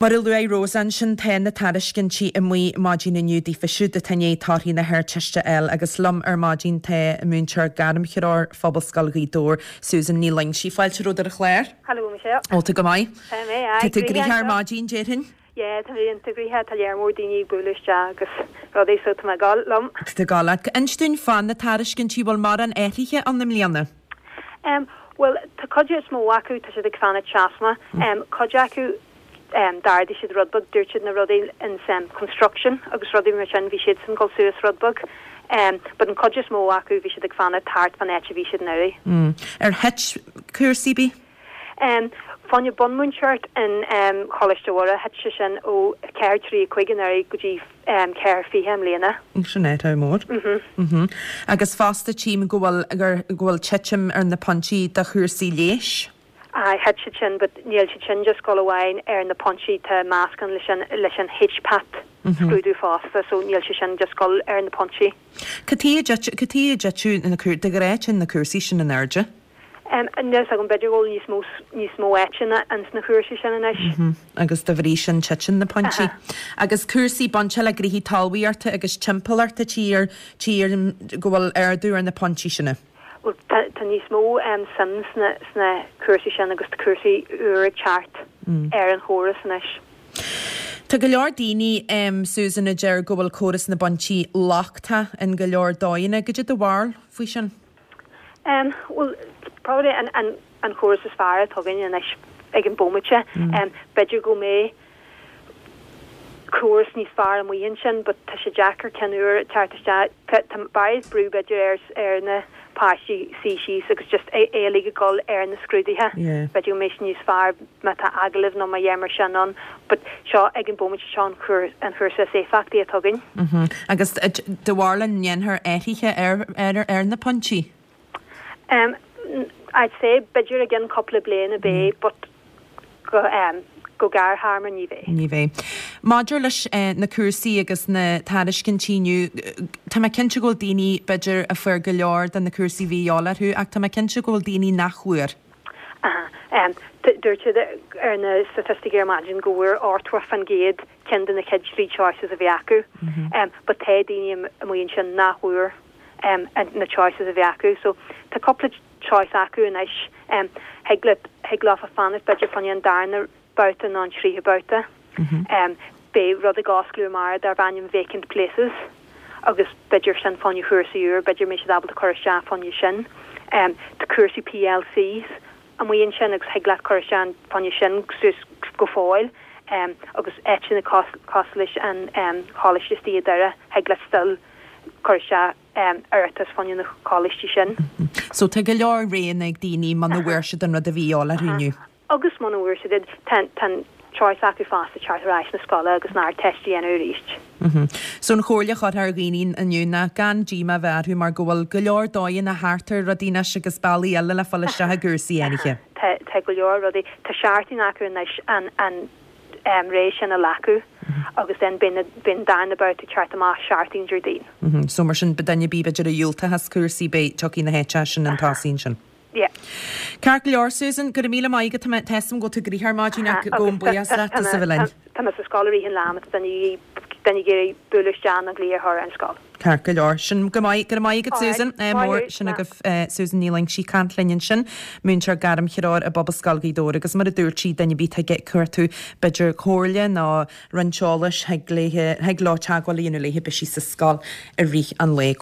Mar a luaigh Rosa ansin, tá na tairiscintí amuigh maidin inniu daofa siúd atá i ndiaidh torthaí na hArdteiste a fháil agus liom ar maidin tá múinteoir gairmthreoir Phobalscoil Ghaoth Dobhair, Susan Ní Loingsigh. Fáilte romhat ar an chlár. Hello Michelle. Ó, tá go maith. Tá mé, aye. Tá tú gnoitheach ar maidin, déarfainn. Yeah, tá mé iontach gnoitheach, tá lear mór daoine ag bualadh isteach agus rudaí so tá mé ag gabháil liom. Tá tú ag gabháil leat. Inis dúinn fá na tairiscintí, bhfuil mórán athraithe ann i mbliana? Em, bhuel, tá cuid is mó acu, tá siad ag fanacht seasmhach. Em, cuid acu, em, d'ardaigh siad rud beag, dúirt siad na rudaí ins, em, construction agus rudaí mar sin, bhí siadsan ag dul suas rud beag. Em, but an cuid is mó acu, bhí siad ag fanacht thart fán áit a bhí siad anuraidh. Mm. Ar thit cúrsaí ar bith? Em, fá choinne bunmhúinteoireacht in, em, Choláiste Mhuire, thit sé sin ó 4.35 anuraidh go dtí, em, 4.20 i mbliana. Sin athrú mór. Mhm. Agus fosta tchím go bhfuil, gur, go bhfuil titim ar na pointí do chúrsaí leighis. Aye, thit siad sin but níl siad sin just ag dul amháin ar na pointí, tá meascán leis an, leis an HPAT scrúdú fosta so níl sé sin just ag dul ar na pointí. Cad chuige a dtit, cad chuige a dtiteadh na cúr, de ghnáth téann na cúrsaí sin in airde? Níl a fhios agam, b'fhéidir go bhfuil níos mó, níos mó áiteanna ins na cúrsaí sin anois. Agus dá bhrí sin titeann na pointí. Agus cúrsaí bainte le gnoithí talmhaíochta agus timpeallachta tír, tchím go bhfuil ardú ar na pointí sin. Bhuel, tá, tá níos mó suim sna, sna cúrsaí sin agus tá cúrsaí úr ag teacht ar an chóras anois. Tá go leor daoine, Susan, a deir go bhfuil córas na bpointí lochtach in go leor dóigheanna. Goidé do bharúil faoi sin? Em, bhuel, probably an, an, an chóras is fearr atá againn anois ag an bómaite. Em, b'fhéidir go mbeidh córas níos fearr amuigh ansin but tá sé deacair ceann úr teacht isteach. Tá, tá barraíocht brú b'fhéidir ar, ar na páistí suí síos agus just é, é uilig ag dul ar na scrúduithe. Yeah. B'fhéidir go mbeidh sé níos fearr má tá agallamh nó mar dhea mar sin ann but seo ag an bómaite seo an chúr, an chúrsa is éifeachtaí atá againn. Mhm. Agus do bharúil an ndéanfar athruithe ar, ar, ar na pointí? Um, I'd say b'fhéidir i gcionn cúpla bliain a bheidh but go, um, go gearrthéarma ní bheidh. Ní bheidh. Maidir leis na cúrsaí agus na tairiscintí inniu, tá mé cinnte go bhfuil daoine b'fhéidir a fuair go leor de na cúrsaí a bhí a dhíobháil orthu ach tá mé cinnte go bhfuil daoine nach bhfuair. Aha. Dúirt siad ar na staitisticí ar maidin go bhfuair 80% ceann de na chéad trí choices a bhí acu. But tá daoine amuigh ansin nach bhfuair na choices a bhí acu. So tá cúpla choice acu anois. Thig leat, thig leofa fanacht b'fhéidir fá choinne an darna babhta nó an tríú babhta. Beidh rud ag osclú amárach darb ainm Vacant Places agus b'fhéidir sin fá choinne chúrsaí úr, b'fhéidir mbeidh siad ábalta cur isteach fá choinne sin. Tá cúrsaí PLCs amuigh ansin agus thig leat cur isteach fá choinne sin suas go fóill agus áiteanna cosúil leis an choláiste istigh i Doire, thig leat still cur isteach iarratas fá choinne na coláistí sin. So tá go leor roghanna ag daoine muna bhfuair siad an rud a bhí a dhíobháil orthu inniu. Agus muna bhfuair siad iad, tá an choice acu fosta teacht ar ais na scoile agus an Ardteist a dhéanamh arís. So an chomhairle a chuirfeá ar dhaoine inniu ná gan díomá a bheith orthu mar go bhfuil go leor dóigheanna thart ar rudaí anois agus bealaí eile le fáil isteach i gcúrsaí áirithe. Tá, tá go leor rudaí. Tá seachtain acu anois an, an ré sin a ghlacadh agus then beidh na, beidh an darna babhta ag teacht amach seachtain Déardaoin. So mar sin, duine ar bith b'fhéidir a dhiúltaigh as cúrsaí beidh, tiocfaidh na háiteacha sin chun tosaigh ansin. Yeah. Ceart go leor, Susan, go raibh míle maith agat. Tá mé, tá a fhios agam go bhfuil tú gnoitheach ar maidin ach gabhaim buíochas leat as a bheith linn. Tá mé sa scoil i rith an lae má tá duine duine ag iarraidh bualadh isteach nó glaoch a chur ar an scoil. Ceart go leor. Sin go maith. Go raibh maith agat, Susan. Alright. Maith Mór thú. sin agaibh Susan Ní Loingsigh ag caint linn ansin, múinteoir gairmthreoir i bPobalscoil Ghaoth Dobhair agus mar a dúirt sí, duine ar bith atá ag cuartú b'fhéidir comhairle nó roinnt eolais thig léi, thig leo teagmháil a dhéanamh léi, beidh sí sa scoil i rith an lae.